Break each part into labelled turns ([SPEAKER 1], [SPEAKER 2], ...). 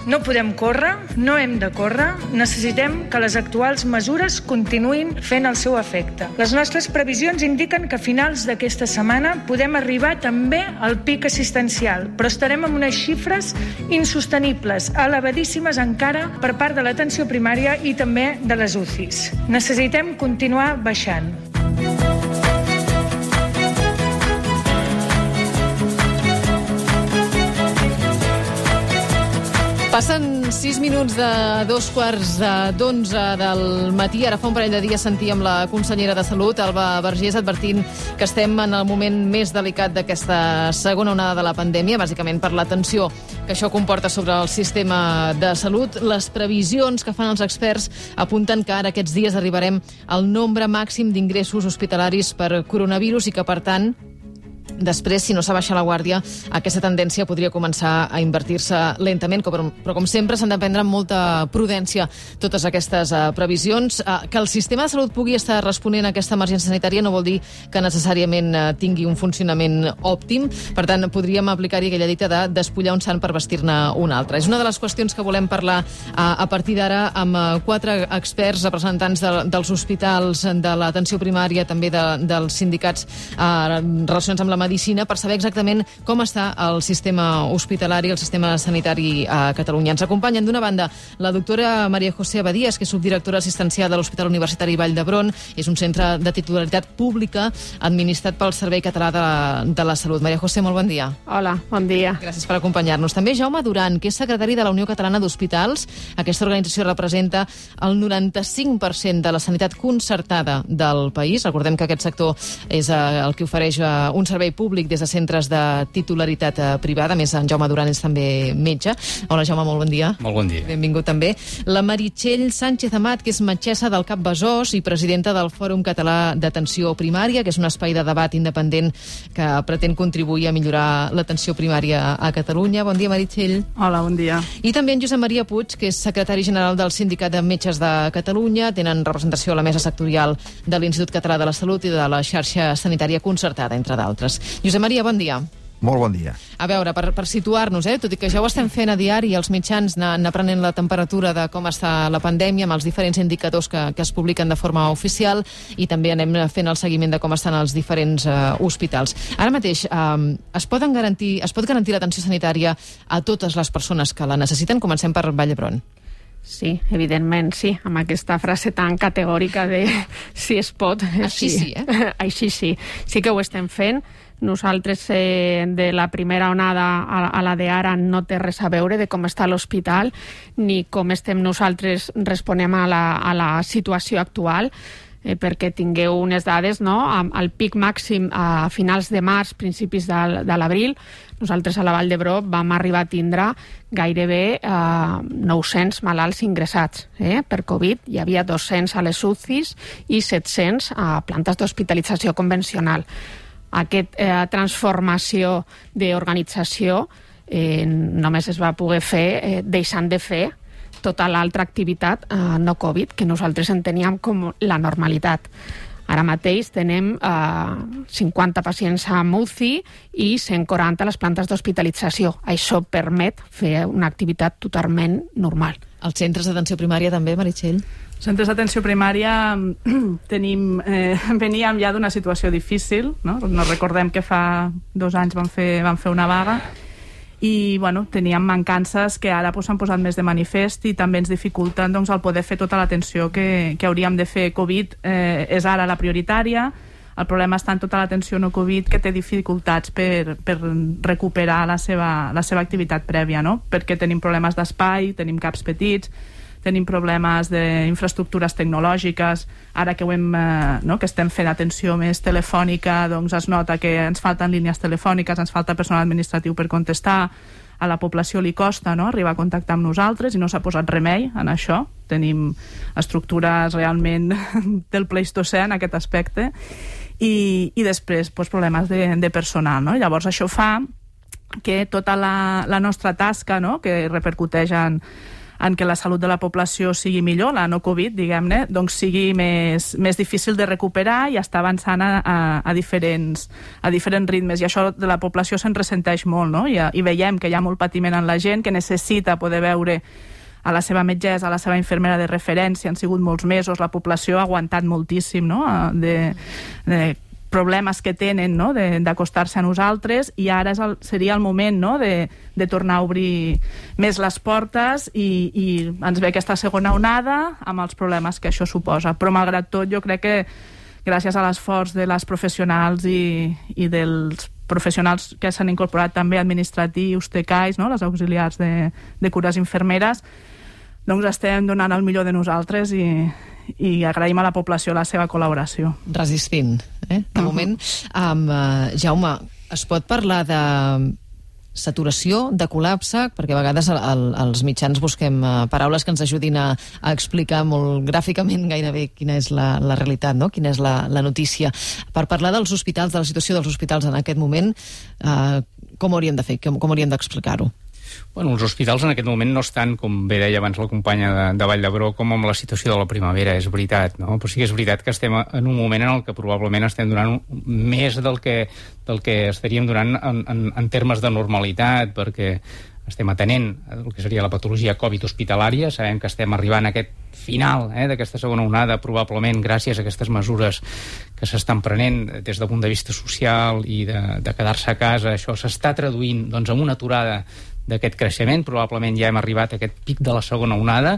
[SPEAKER 1] No podem córrer, no hem de córrer, necessitem que les actuals mesures continuïn fent el seu efecte. Les nostres previsions indiquen que a finals d'aquesta setmana podem arribar també al pic assistencial, però estarem amb unes xifres insostenibles, elevadíssimes encara per part de l'atenció primària i també de les UCIs. Necessitem continuar baixant.
[SPEAKER 2] Passen 6 minuts de 2:15 del matí. Ara fa un parell de dies sentíem la consellera de Salut, Alba Vergés, advertint que estem en el moment més delicat d'aquesta segona onada de la pandèmia, bàsicament per la tensió que això comporta sobre el sistema de salut. Les previsions que fan els experts apunten que ara aquests dies arribarem al nombre màxim d'ingressos hospitalaris per coronavirus i que, per tant, després, si no s'abaixa la guàrdia, aquesta tendència podria començar a invertir-se lentament, però com sempre s'han de prendre amb molta prudència totes aquestes previsions. Que el sistema de salut pugui estar responent a aquesta emergència sanitària no vol dir que necessàriament tingui un funcionament òptim. Per tant, podríem aplicar-hi aquella dita de despullar un sant per vestir-ne un altre. És una de les qüestions que volem parlar a partir d'ara amb 4 experts, representants dels hospitals, de l'atenció primària, també dels sindicats relacionats amb la medicina, per saber exactament com està el sistema hospitalari, el sistema sanitari a Catalunya. Ens acompanyen, d'una banda, la doctora María José Abadías, que és subdirectora assistencial de l'Hospital Universitari Vall d'Hebron. És un centre de titularitat pública administrat pel Servei Català de la Salut. María José, molt bon dia.
[SPEAKER 3] Hola, bon dia.
[SPEAKER 2] Gràcies per acompanyar-nos. També Jaume Duran, que és secretari de la Unió Catalana d'Hospitals. Aquesta organització representa el 95% de la sanitat concertada del país. Recordem que aquest sector és el que ofereix un servei públic des de centres de titularitat privada. A més, en Jaume Duran és també metge. Hola, Jaume, molt bon dia.
[SPEAKER 4] Molt bon dia.
[SPEAKER 2] Benvingut també. La Meritxell Sánchez Amat, que és metgessa del CAP Besòs i presidenta del Fòrum Català d'Atenció Primària, que és un espai de debat independent que pretén contribuir a millorar l'atenció primària a Catalunya. Bon dia, Meritxell.
[SPEAKER 3] Hola, bon dia.
[SPEAKER 2] I també en Josep Maria Puig, que és secretari general del Sindicat de Metges de Catalunya. Tenen representació a la mesa sectorial de l'Institut Català de la Salut i de la xarxa sanitària concertada, entre d'altres. Josep Maria, bon dia.
[SPEAKER 5] Molt bon dia.
[SPEAKER 2] A veure, per situar-nos, tot i que ja ho estem fent a diari, els mitjans anar prenent la temperatura de com està la pandèmia amb els diferents indicadors que es publiquen de forma oficial, i també anem fent el seguiment de com estan els diferents hospitals. Ara mateix, es pot garantir l'atenció sanitària a totes les persones que la necessiten? Comencem per Vall d'Hebron.
[SPEAKER 3] Sí, evidentment, sí, amb aquesta frase tan categòrica de si es pot.
[SPEAKER 2] Així sí,
[SPEAKER 3] Així sí. Sí que ho estem fent. Nosaltres, de la primera onada a la d'ara, no té res a veure de com està l'hospital ni com estem nosaltres responem a la situació actual. Perquè tingueu unes dades, no? Al pic màxim a finals de març, principis de l'abril, nosaltres a la Vall d'Hebron vam arribar a tindre gairebé 900 malalts ingressats per Covid. Hi havia 200 a les UCIs i 700 a plantes d'hospitalització convencional. Aquesta transformació d'organització només es va poder fer deixant de fer tota l'altra activitat no Covid, que nosaltres enteníem com la normalitat. Ara mateix tenem 50 pacients a UCI i 140 a les plantes d'hospitalització. Això permet fer una activitat totalment normal.
[SPEAKER 2] Els centres d'atenció primària també, Meritxell?
[SPEAKER 6] Centres d'atenció primària veníem ja d'una situació difícil, no? Recordem que fa 2 anys vam fer una vaga i teníem mancances que ara s'han posat més de manifest i també ens dificulten el poder fer tota l'atenció que hauríem de fer. Covid és ara la prioritària. El problema està en tota l'atenció no Covid, que té dificultats per recuperar la seva activitat prèvia, no? Perquè tenim problemes d'espai, tenim CAPs petits, tenim problemes d'infraestructures tecnològiques. Ara que que estem fent atenció més telefònica, es nota que ens falten línies telefòniques, ens falta personal administratiu per contestar. A la població li costa arribar a contactar amb nosaltres i no s'ha posat remei en això. Tenim estructures realment del Pleistocè en aquest aspecte. I després problemes de personal, no? Llavors això fa que tota la nostra tasca, que repercuteix en què la salut de la població sigui millor, la no Covid, diguem-ne, doncs sigui més difícil de recuperar i està avançant a diferents ritmes. I això de la població se'n ressenteix molt, no? I veiem que hi ha molt patiment en la gent, que necessita poder veure a la seva metgessa, a la seva infermera de referència. Han sigut molts mesos, la població ha aguantat moltíssim, no? De problemes que tenen, no? D'acostar-se a nosaltres, i ara seria el moment, no? de tornar a obrir més les portes, i ens ve aquesta segona onada amb els problemes que això suposa. Però malgrat tot, jo crec que gràcies a l'esforç de les professionals i dels professionals que s'han incorporat també, administratius, TCAIs, no? Les auxiliars de cures infermeres, doncs estem donant el millor de nosaltres i agraïm a la població la seva col·laboració.
[SPEAKER 2] Resistint, de moment. Jaume, es pot parlar de saturació, de col·lapse, perquè a vegades als mitjans busquem paraules que ens ajudin a explicar molt gràficament gairebé quina és la realitat, no? Quina és la notícia. Per parlar dels hospitals, de la situació dels hospitals en aquest moment, com hauríem de fer, com hauríem d'explicar-ho?
[SPEAKER 4] Bueno, els hospitals en aquest moment no estan, com bé deia abans la companya de Vall d'Hebron, com amb la situació de la primavera, és veritat, no? Però sí que és veritat que estem en un moment en el que probablement estem donant més del que estaríem donant en termes de normalitat, perquè estem atenent el que seria la patologia Covid hospitalària. Sabem que estem arribant a aquest final d'aquesta segona onada, probablement gràcies a aquestes mesures que s'estan prenent des del punt de vista social i de quedar-se a casa. Això s'està traduint doncs, en una aturada d'aquest creixement. Probablement ja hem arribat a aquest pic de la segona onada.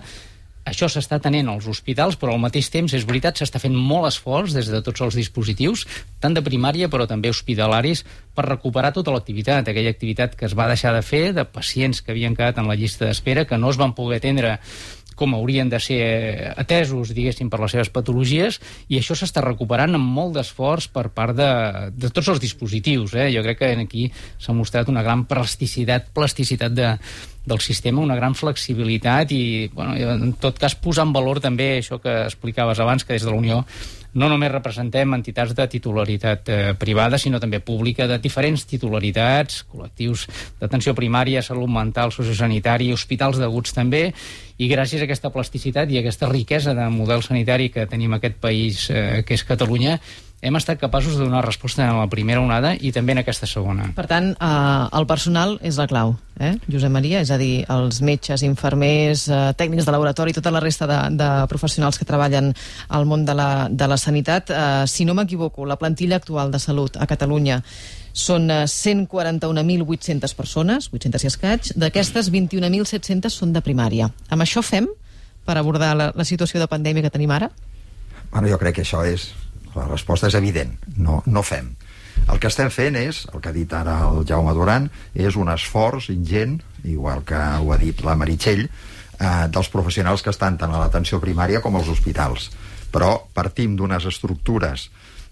[SPEAKER 4] Això s'està tenint als hospitals, però al mateix temps, és veritat, s'està fent molt esforç des de tots els dispositius, tant de primària però també hospitalaris, per recuperar tota l'activitat, aquella activitat que es va deixar de fer, de pacients que havien quedat en la llista d'espera, que no es van poder atendre com haurien de ser atesos, diguéssim, per les seves patologies, i això s'està recuperant amb molt d'esforç per part de tots els dispositius. Jo crec que aquí s'ha mostrat una gran plasticitat del sistema, una gran flexibilitat i, bueno, en tot cas, posar en valor també això que explicaves abans, que des de la Unió no només representem entitats de titularitat privada, sinó també pública, de diferents titularitats, col·lectius d'atenció primària, salut mental, sociosanitari, hospitals d'aguts també, i gràcies a aquesta plasticitat i a aquesta riquesa de model sanitari que tenim a aquest país, que és Catalunya, hem estat capaços de donar resposta en la primera onada i també en aquesta segona.
[SPEAKER 2] Per tant, el personal és la clau, Josep Maria? És a dir, els metges, infermers, tècnics de laboratori, tota la resta de professionals que treballen al món de la sanitat. Si no m'equivoco, la plantilla actual de salut a Catalunya són 141.800 persones, 800 i escaig. D'aquestes, 21.700 són de primària. Amb això fem per abordar la situació de pandèmia que tenim ara?
[SPEAKER 5] Bueno, jo crec que això és... La resposta és evident, no fem. El que estem fent és, el que ha dit ara el Jaume Duran, és un esforç ingent, igual que ho ha dit la Meritxell, dels professionals que estan tant a l'atenció primària com als hospitals. Però partim d'unes estructures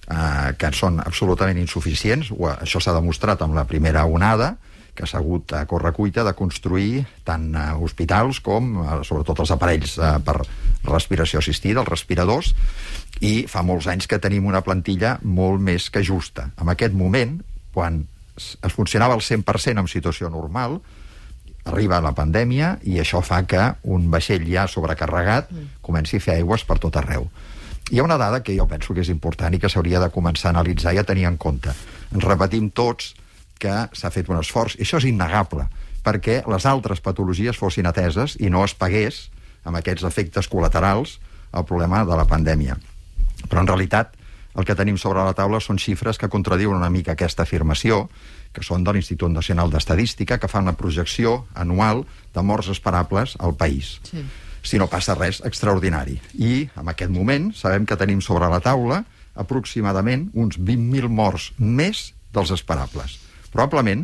[SPEAKER 5] que són absolutament insuficients. Això s'ha demostrat amb la primera onada, que s'ha hagut a correcuita de construir tant hospitals com, sobretot, els aparells per respiració assistida, els respiradors, i fa molts anys que tenim una plantilla molt més que justa. En aquest moment, quan es funcionava al 100% en situació normal, arriba la pandèmia i això fa que un vaixell ja sobrecarregat comenci a fer aigües per tot arreu. Hi ha una dada que jo penso que és important i que s'hauria de començar a analitzar i a tenir en compte. Ens repetim tots que s'ha fet un esforç, i això és innegable, perquè les altres patologies fossin ateses i no es pagués amb aquests efectes col·laterals el problema de la pandèmia. Però en realitat el que tenim sobre la taula són xifres que contradiuen una mica aquesta afirmació, que són de l'Institut Nacional d'Estadística, que fan la projecció anual de morts esperables al país. Sí. Si no passa res extraordinari. I en aquest moment sabem que tenim sobre la taula aproximadament uns 20.000 morts més dels esperables. Probablement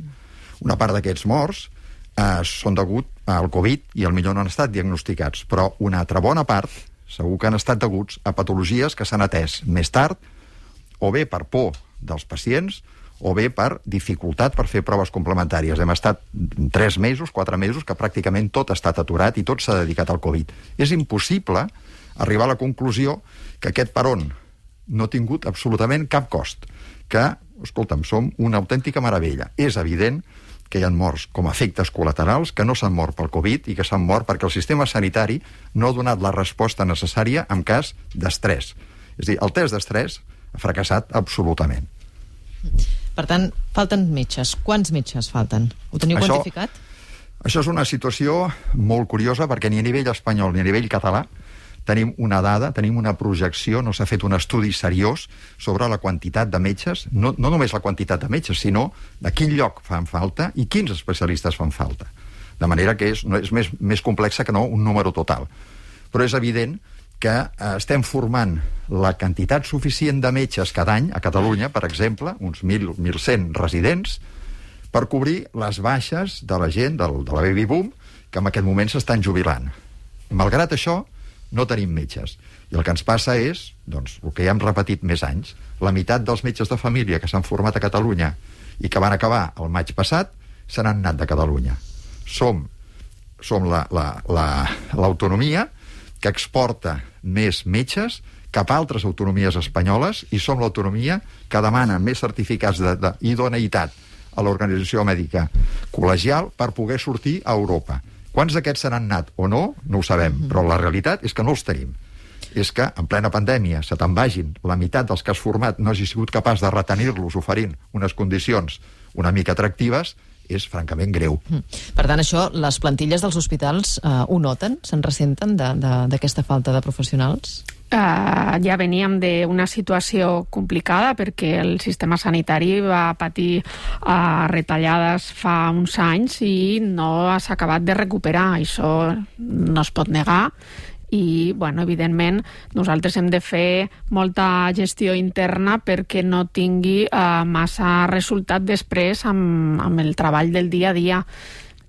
[SPEAKER 5] una part d'aquests morts són degut al Covid i potser no han estat diagnosticats, però una altra bona part segur que han estat deguts a patologies que s'han atès més tard, o bé per por dels pacients, o bé per dificultat per fer proves complementàries. Hem estat 3 mesos, 4 mesos, que pràcticament tot ha estat aturat i tot s'ha dedicat al Covid. És impossible arribar a la conclusió que aquest peron no ha tingut absolutament cap cost, que, escolta'm, som una autèntica meravella. És evident que hi ha morts com a efectes col·laterals, que no s'han mort pel Covid i que s'han mort perquè el sistema sanitari no ha donat la resposta necessària en cas d'estrès. És a dir, el test d'estrès ha fracassat absolutament.
[SPEAKER 2] Per tant, falten metges. Quants metges falten? Ho teniu quantificat?
[SPEAKER 5] Això és una situació molt curiosa perquè ni a nivell espanyol ni a nivell català tenim una dada, tenim una projecció, no s'ha fet un estudi seriós sobre la quantitat de metges, no només la quantitat de metges, sinó de quin lloc fan falta i quins especialistes fan falta. De manera que és més complexa que no un número total. Però és evident que estem formant la quantitat suficient de metges cada any a Catalunya, per exemple, uns 1.100 residents, per cobrir les baixes de la gent de la baby boom que en aquest moment s'estan jubilant. Malgrat això, no tenim metges. I el que ens passa és, doncs, el que ja hem repetit més anys, la meitat dels metges de família que s'han format a Catalunya i que van acabar el maig passat se n'han anat de Catalunya. Som l'autonomia que exporta més metges cap a altres autonomies espanyoles i som l'autonomia que demana més certificats d'idoneïtat a l'Organització Mèdica Col·legial per poder sortir a Europa. Quants d'aquests se n'han anat o no, no ho sabem, però la realitat és que no els tenim. És que en plena pandèmia se te'n vagin la meitat dels que has format no hagi sigut capaç de retenir-los oferint unes condicions una mica atractives, és francament greu.
[SPEAKER 2] Per tant, això, les plantilles dels hospitals ho noten? Se'n ressenten d'aquesta falta de professionals?
[SPEAKER 3] Ja veníem d'una situació complicada perquè el sistema sanitari va patir retallades fa uns anys i no s'ha acabat de recuperar. Això no es pot negar. I, bueno, evidentment, nosaltres hem de fer molta gestió interna perquè no tingui massa resultat després amb el treball del dia a dia.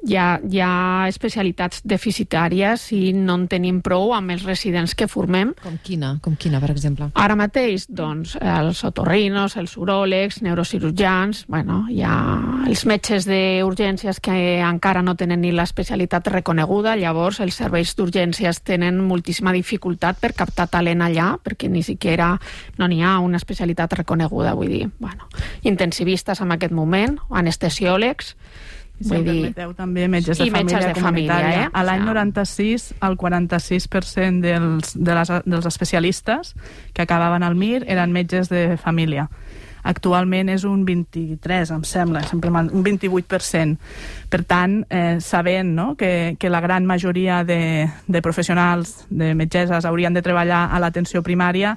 [SPEAKER 3] Hi ha especialitats deficitàries i no en tenim prou amb els residents que formem.
[SPEAKER 2] Com quina, per exemple?
[SPEAKER 3] Ara mateix, doncs, els otorrinos, els uròlegs, neurocirurgians, bueno, hi ha els metges d'urgències que encara no tenen ni l'especialitat reconeguda, llavors els serveis d'urgències tenen moltíssima dificultat per captar talent allà, perquè ni siquiera no n'hi ha una especialitat reconeguda, vull dir, bueno, intensivistes en aquest moment, anestesiòlegs.
[SPEAKER 6] I si em permeteu també metges de família comunitària. A l'any 96, el 46% dels especialistes que acabaven al MIR eren metges de família. Actualment és un 23, em sembla, un 28%. Per tant, sabent que la gran majoria de professionals, de metgesses, haurien de treballar a l'atenció primària,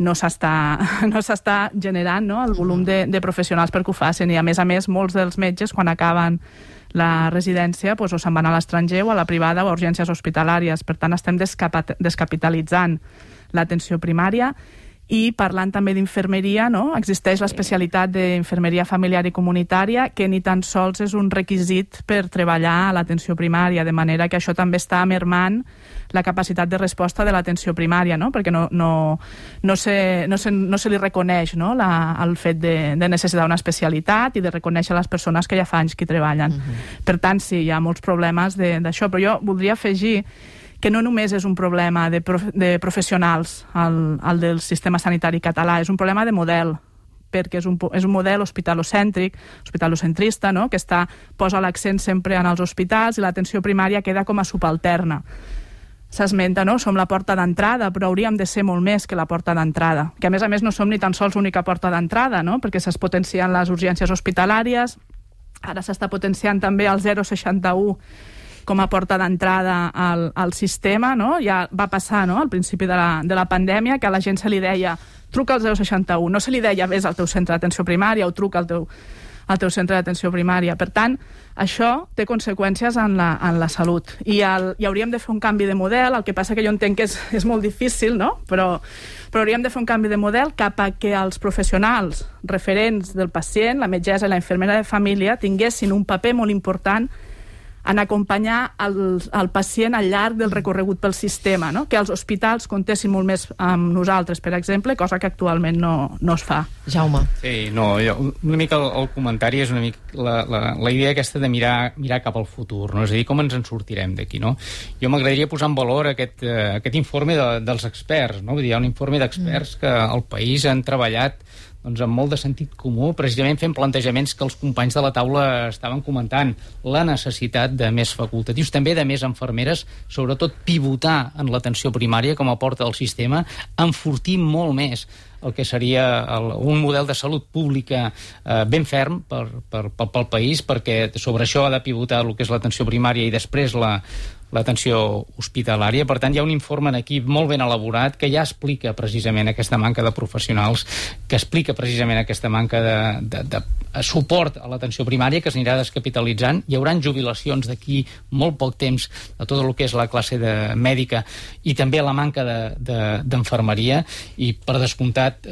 [SPEAKER 6] no s'està generant el volum de professionals perquè ho facin. I a més, molts dels metges, quan acaben la residència, o se'n van a l'estranger o a la privada o a urgències hospitalàries. Per tant, estem descapitalitzant l'atenció primària. I parlant també d'infermeria, existeix l'especialitat d'infermeria familiar i comunitària, que ni tan sols és un requisit per treballar a l'atenció primària, de manera que això també està mermant la capacitat de resposta de l'atenció primària, perquè no se li reconeix el fet de necessitar una especialitat i de reconèixer les persones que ja fa anys que hi treballen. Per tant, sí, hi ha molts problemes d'això, però jo voldria afegir que no només és un problema de professionals el del sistema sanitari català, és un problema de model, perquè és un model hospitalocèntric, hospitalocentrista, que posa l'accent sempre en els hospitals i l'atenció primària queda com a subalterna. S'esmenta, som la porta d'entrada, però hauríem de ser molt més que la porta d'entrada, que a més no som ni tan sols l'única porta d'entrada, perquè s'es potencien les urgències hospitalàries, ara s'està potenciant també el 061 com a porta d'entrada al sistema, ja va passar al principi de la pandèmia que a la gent se li deia truca al 061, no se li deia vés al teu centre d'atenció primària o truca al teu centre d'atenció primària. Per tant, això té conseqüències en la salut i hauríem de fer un canvi de model, el que passa que jo entenc que és molt difícil, però hauríem de fer un canvi de model cap a que els professionals referents del pacient, la metgessa i la infermera de família, tinguessin un paper molt important en acompanyar el pacient al llarg del recorregut pel sistema, que els hospitals comptessin molt més amb nosaltres, per exemple, cosa que actualment no es fa.
[SPEAKER 2] Jaume.
[SPEAKER 4] Sí, una mica el comentari és una mica la idea aquesta de mirar cap al futur, és a dir, com ens en sortirem d'aquí, Jo m'agradaria posar en valor aquest informe dels experts, Vull dir, hi ha un informe d'experts que al país han treballat doncs, amb molt de sentit comú, precisament fent plantejaments que els companys de la taula estaven comentant, la necessitat de més facultatius, també de més infermeres, sobretot pivotar en l'atenció primària com a porta del sistema, enfortir molt més el que seria un model de salut pública ben ferm pel país, perquè sobre això ha de pivotar el que és l'atenció primària i després l'atenció hospitalària. Per tant, hi ha un informe en equip molt ben elaborat que ja explica precisament aquesta manca de professionals, que explica precisament aquesta manca de suport a l'atenció primària, que s'anirà descapitalitzant. Hi haurà jubilacions d'aquí molt poc temps de tot el que és la classe mèdica i també la manca d'enfermeria, i per descomptat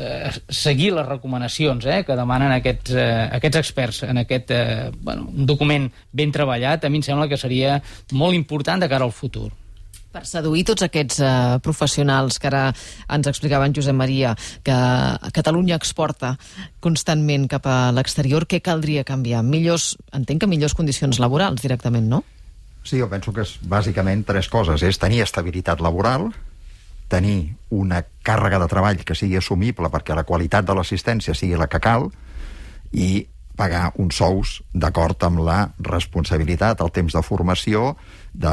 [SPEAKER 4] seguir les recomanacions que demanen aquests experts en aquest un document ben treballat. A mi em sembla que seria molt important de cara al futur.
[SPEAKER 2] Per seduir tots aquests professionals que ara ens explicava en Josep Maria, que Catalunya exporta constantment cap a l'exterior, què caldria canviar? Entenc que millors condicions laborals directament, no?
[SPEAKER 5] Sí, jo penso que és bàsicament 3 coses. És tenir estabilitat laboral, tenir una càrrega de treball que sigui assumible perquè la qualitat de l'assistència sigui la que cal, i pagar uns sous d'acord amb la responsabilitat, el temps de formació de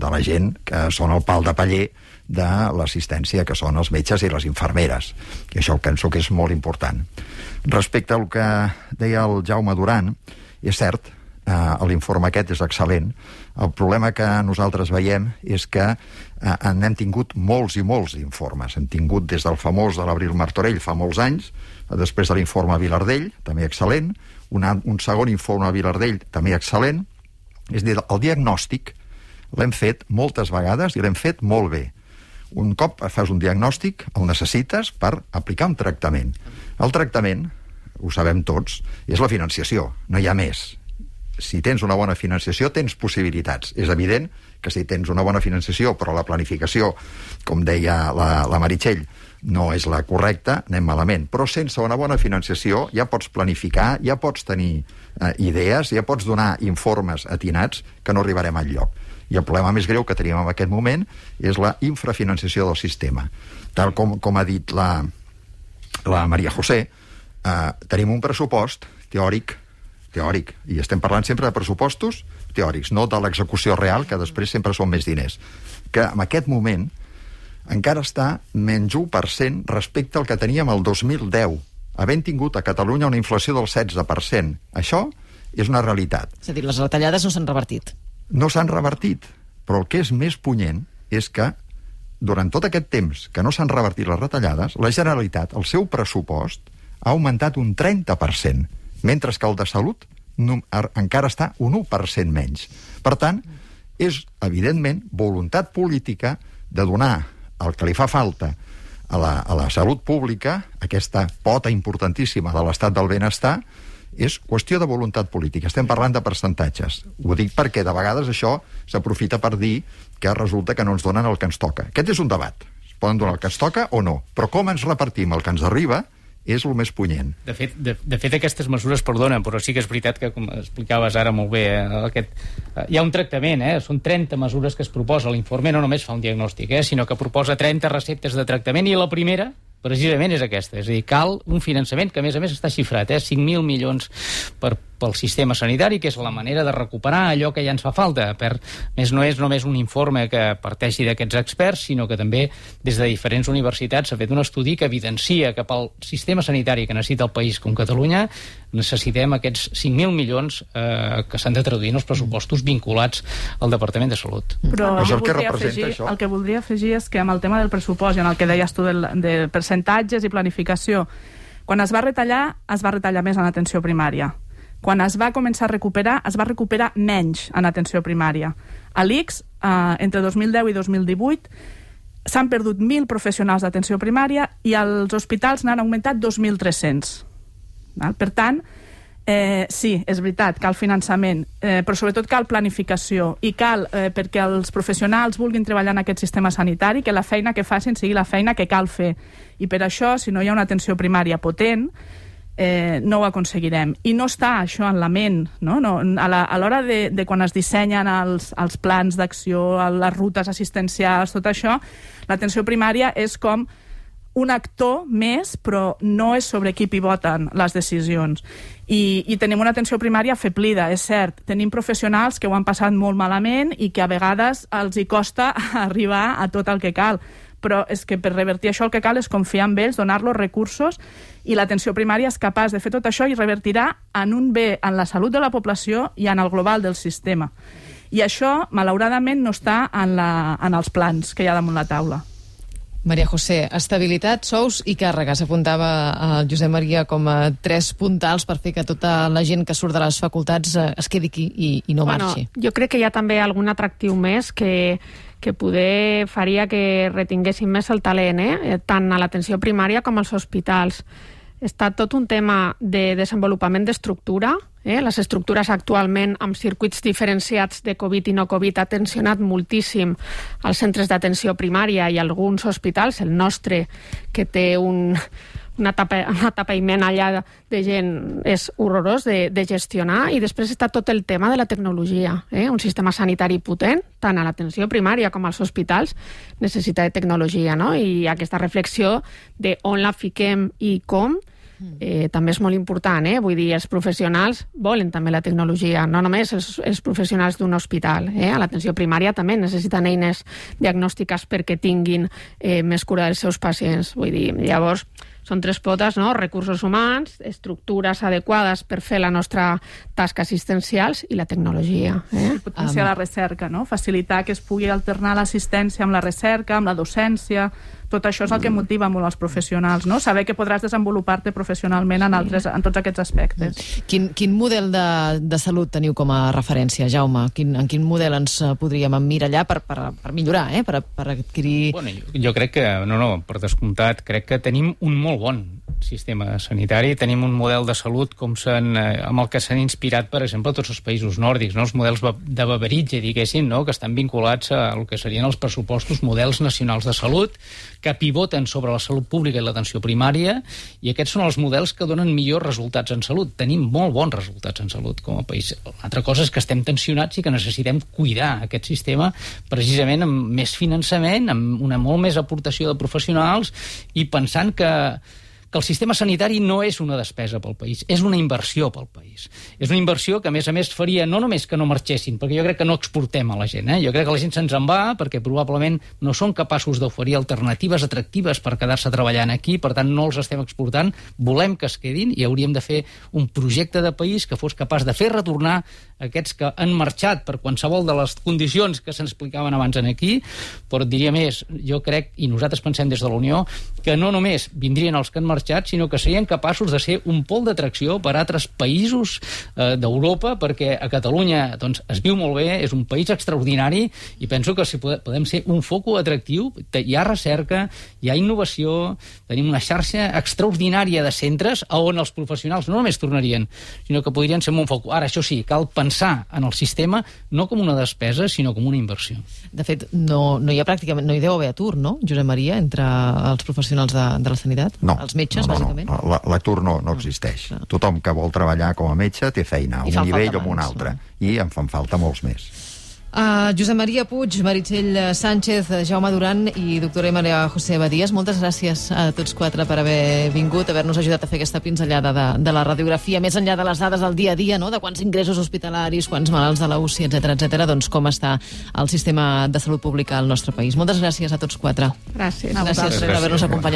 [SPEAKER 5] la gent que són el pal de paller de l'assistència, que són els metges i les infermeres. I això penso que és molt important. Respecte al que deia el Jaume Duran, és cert, l'informe aquest és excel·lent. El problema que nosaltres veiem és que n'hem tingut molts i molts informes. Hem tingut des del famós de l'Abril Martorell fa molts anys, després de l'informe Vilardell, també excel·lent, un segon informe Vilardell, també excel·lent. És a dir, el diagnòstic l'hem fet moltes vegades i l'hem fet molt bé. Un cop fas un diagnòstic, el necessites per aplicar un tractament. El tractament, ho sabem tots, és la financiació, no hi ha més. Si tens una bona financiació, tens possibilitats. És evident que si tens una bona financiació, però la planificació, com deia la Meritxell, no és la correcta, anem malament. Però sense una bona financiació ja pots planificar, ja pots tenir idees, ja pots donar informes atinats que no arribarem enlloc. I el problema més greu que tenim en aquest moment és la infrafinanciació del sistema. Tal com ha dit la Maria José, tenim un pressupost teòric, i estem parlant sempre de pressupostos teòrics, no de l'execució real, que després sempre són més diners, que en aquest moment encara està menys 1% respecte al que teníem el 2010, havent tingut a Catalunya una inflació del 16%. Això és una realitat.
[SPEAKER 2] És a dir, les retallades no s'han revertit.
[SPEAKER 5] No s'han revertit, però el que és més punyent és que durant tot aquest temps que no s'han revertit les retallades, la Generalitat, el seu pressupost, ha augmentat un 30%, mentre que el de salut encara està un 1% menys. Per tant, és, evidentment, voluntat política de donar el que li fa falta a la salut pública, aquesta pota importantíssima de l'estat del benestar, és qüestió de voluntat política. Estem parlant de percentatges. Ho dic perquè de vegades això s'aprofita per dir que resulta que no ens donen el que ens toca. Aquest és un debat. Es poden donar el que ens toca o no. Però com ens repartim el que ens arriba és el més punyent.
[SPEAKER 4] De fet, aquestes mesures, perdona, però sí que és veritat que, com explicaves ara molt bé, hi ha un tractament, són 30 mesures que es proposa. L'informe no només fa un diagnòstic, sinó que proposa 30 receptes de tractament, i la primera, precisament, és aquesta. És a dir, cal un finançament que, a més està xifrat, 5.000 milions pel sistema sanitari, que és la manera de recuperar allò que ja ens fa falta. No és només un informe que parteixi d'aquests experts, sinó que també des de diferents universitats s'ha fet un estudi que evidencia que pel sistema sanitari que necessita el país com Catalunya necessitem aquests 5.000 milions que s'han de traduir en els pressupostos vinculats al Departament de Salut.
[SPEAKER 6] Però el que voldria afegir és que amb el tema del pressupost i en el que deies tu de percentatges i planificació, quan es va retallar més en atenció primària. Quan es va començar a recuperar, es va recuperar menys en atenció primària. A l'ICS, entre 2010 i 2018, s'han perdut 1.000 professionals d'atenció primària i als hospitals n'han augmentat 2.300. Per tant, sí, és veritat, cal finançament, però sobretot cal planificació i cal perquè els professionals vulguin treballar en aquest sistema sanitari, que la feina que facin sigui la feina que cal fer. I per això, si no hi ha una atenció primària potent, no ho aconseguirem. I no està això en la ment, no? A l'hora de quan es dissenyen els plans d'acció, les rutes assistencials, tot això, l'atenció primària és com un actor més, però no és sobre qui pivoten les decisions. I tenim una atenció primària afeblida, és cert. Tenim professionals que ho han passat molt malament i que a vegades els hi costa arribar a tot el que cal. Però és que per revertir això el que cal és confiar en ells, donar-los recursos, i l'atenció primària és capaç de fer tot això i revertirà en un bé en la salut de la població i en el global del sistema. I això, malauradament, no està en els plans que hi ha damunt la taula.
[SPEAKER 2] Maria José, estabilitat, sous i càrregues. Apuntava el Josep Maria com a 3 puntals per fer que tota la gent que surt de les facultats es quedi aquí i no marxi.
[SPEAKER 3] Jo crec que hi ha també algun atractiu més que poder faria que retinguessin més el talent, tant a l'atenció primària com als hospitals. Està tot un tema de desenvolupament d'estructura. Les estructures actualment amb circuits diferenciats de Covid i no Covid ha tensionat moltíssim els centres d'atenció primària i alguns hospitals, el nostre, que té un atapeïment allà de gent és horrorós de gestionar, i després està tot el tema de la tecnologia. Un sistema sanitari potent, tant a l'atenció primària com als hospitals, necessita de tecnologia, no? I aquesta reflexió de on la fiquem i com també és molt important, Vull dir, els professionals volen també la tecnologia, no només els professionals d'un hospital, A l'atenció primària també necessiten eines diagnòstiques perquè tinguin més cura dels seus pacients. Vull dir, llavors, són 3 potes, no? Recursos humans, estructures adequades per fer la nostra tasca assistencials i la tecnologia.
[SPEAKER 6] Potenciar la recerca, no? Facilitar que es pugui alternar l'assistència amb la recerca, amb la docència. Tot això és el que motiva molt els professionals, no? Saber que podràs desenvolupar-te professionalment en tots aquests aspectes.
[SPEAKER 2] Quin model de salut teniu com a referència, Jaume? En quin model ens podríem emmirallar per millorar, per adquirir...
[SPEAKER 4] Bueno, jo crec que, per descomptat, crec que tenim un molt bon sistema sanitari, tenim un model de salut amb el que s'han inspirat, per exemple, tots els països nòrdics, no? Els models de Beveridge, diguéssim, no? Que estan vinculats al que serien els pressupostos, models nacionals de salut, que pivoten sobre la salut pública i l'atenció primària, i aquests són els models que donen millors resultats en salut. Tenim molt bons resultats en salut com a país. L'altra cosa és que estem tensionats i que necessitem cuidar aquest sistema precisament amb més finançament, amb una molt més aportació de professionals, i pensant que el sistema sanitari no és una despesa pel país, és una inversió pel país. És una inversió que, a més, faria no només que no marxessin, perquè jo crec que no exportem a la gent. Jo crec que la gent se'ns en va perquè probablement no són capaços d'oferir alternatives atractives per quedar-se treballant aquí, per tant no els estem exportant, volem que es quedin i hauríem de fer un projecte de país que fos capaç de fer retornar aquests que han marxat per qualsevol de les condicions que se'ns explicaven abans aquí, però et diria més, jo crec, i nosaltres pensem des de la Unió, que no només vindrien els que han marxat, sinó que serien capaços de ser un pol d'atracció per a altres països d'Europa, perquè a Catalunya es viu molt bé, és un país extraordinari, i penso que si podem ser un foco atractiu, hi ha recerca, hi ha innovació, tenim una xarxa extraordinària de centres on els professionals no només tornarien, sinó que podrien ser un foco. Ara, això sí, cal pensar en el sistema no com una despesa, sinó com una inversió.
[SPEAKER 2] De fet, no hi ha pràcticament, no hi deu haver atur, no, Josep Maria, entre els professionals de la sanitat?
[SPEAKER 5] No.
[SPEAKER 2] Els metges, bàsicament?
[SPEAKER 5] No. L'atur no existeix. Tothom que vol treballar com a metge té feina, a un nivell o a un altre. I en fan falta molts més.
[SPEAKER 2] Josep Maria Puig, Meritxell Sánchez, Jaume Duran i doctora Maria José Badías, moltes gràcies a tots 4 per haver vingut, haver-nos ajudat a fer aquesta pinzellada de la radiografia, més enllà de les dades del dia a dia, no? De quants ingressos hospitalaris, quants malalts de la UCI, etc, doncs com està el sistema de salut pública al nostre país. Moltes gràcies a tots 4.
[SPEAKER 3] Gràcies.
[SPEAKER 2] Gràcies per haver-nos acompanyat.